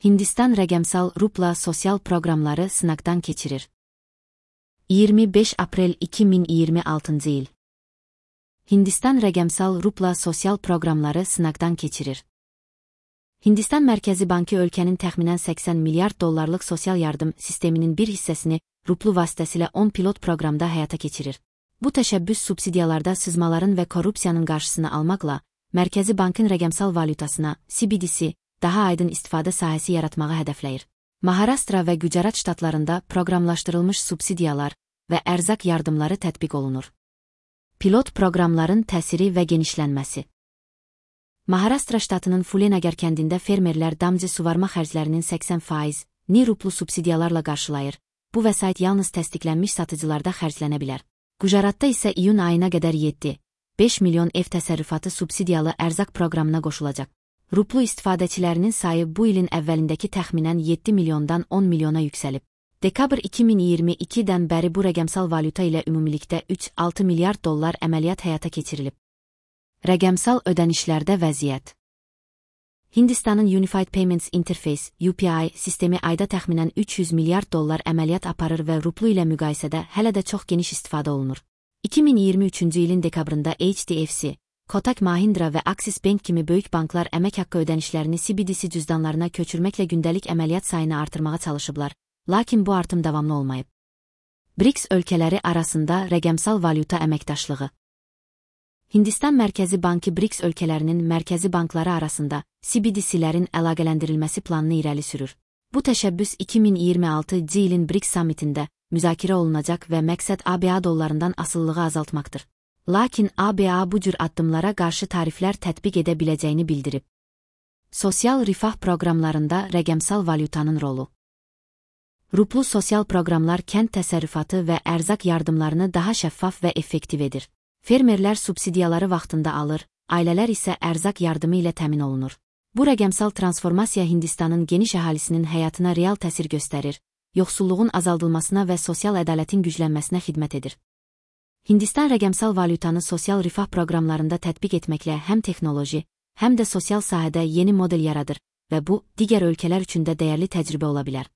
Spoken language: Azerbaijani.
Hindistan rəqəmsal rupla sosial proqramları sınaqdan keçirir. 25 aprel 2026 il. Hindistan rəqəmsal rupla sosial proqramları sınaqdan keçirir. Hindistan Mərkəzi Bankı ölkənin təxminən 80 milyard dollarlıq sosial yardım sisteminin bir hissəsini ruplu vasitəsilə 10 pilot proqramda həyata keçirir. Bu təşəbbüs subsidiyalarda sızmaların və korrupsiyanın qarşısını almaqla, Mərkəzi Bankın rəqəmsal valyutasına, CBDC, daha aydın istifadə sahəsi yaratmağı hədəfləyir. Maharashtra və Gujarat ştatlarında proqramlaşdırılmış subsidiyalar və ərzaq yardımları tətbiq olunur. Pilot proqramların təsiri və genişlənməsi. Maharashtra ştatının Fulenagar kəndində fermerlər damcı suvarma xərclərinin 80%-ni ruplu subsidiyalarla qarşılayır. Bu vəsait yalnız təsdiqlənmiş satıcılarda xərclənə bilər. Gujaratda isə iyun ayına qədər 7,5 milyon ev təsərrüfatı subsidiyalı ərzaq proqramına qoşulacaq. Ruplu istifadəçilərinin sayı bu ilin əvvəlindəki təxminən 7 milyondan 10 milyona yüksəlib. Dekabr 2022-dən bəri bu rəqəmsal valyuta ilə ümumilikdə 3,6 milyard dollar əməliyyat həyata keçirilib. Rəqəmsal ödənişlərdə vəziyyət. Hindistanın Unified Payments Interface (UPI) sistemi ayda təxminən 300 milyard dollar əməliyyat aparır və ruplu ilə müqayisədə hələ də çox geniş istifadə olunur. 2023-cü ilin dekabrında HDFC, Kotak Mahindra və Axis Bank kimi böyük banklar əmək haqqı ödənişlərini CBDC cüzdanlarına köçürməklə gündəlik əməliyyat sayını artırmağa çalışıblar, lakin bu artım davamlı olmayıb. BRICS ölkələri arasında rəqəmsal valyuta əməkdaşlığı. Hindistan Mərkəzi Bankı BRICS ölkələrinin mərkəzi bankları arasında CBDC-lərin əlaqələndirilməsi planını irəli sürür. Bu təşəbbüs 2026-cı ilin BRICS sammitində müzakirə olunacaq və məqsəd ABA dollarından asılılığı azaltmaqdır. Lakin ABA bu cür addımlara qarşı tariflər tətbiq edə biləcəyini bildirib. Sosial rifah proqramlarında rəqəmsal valyutanın rolu. Ruplu sosial proqramlar kənd təsərrüfatı və ərzaq yardımlarını daha şəffaf və effektiv edir. Fermerlər subsidiyaları vaxtında alır, ailələr isə ərzaq yardımı ilə təmin olunur. Bu rəqəmsal transformasiya Hindistanın geniş əhalisinin həyatına real təsir göstərir, yoxsulluğun azaldılmasına və sosial ədalətin güclənməsinə xidmət edir. Hindistan rəqəmsal valyutanı sosial rifah proqramlarında tətbiq etməklə həm texnoloji, həm də sosial sahədə yeni model yaradır və bu, digər ölkələr üçün də dəyərli təcrübə ola bilər.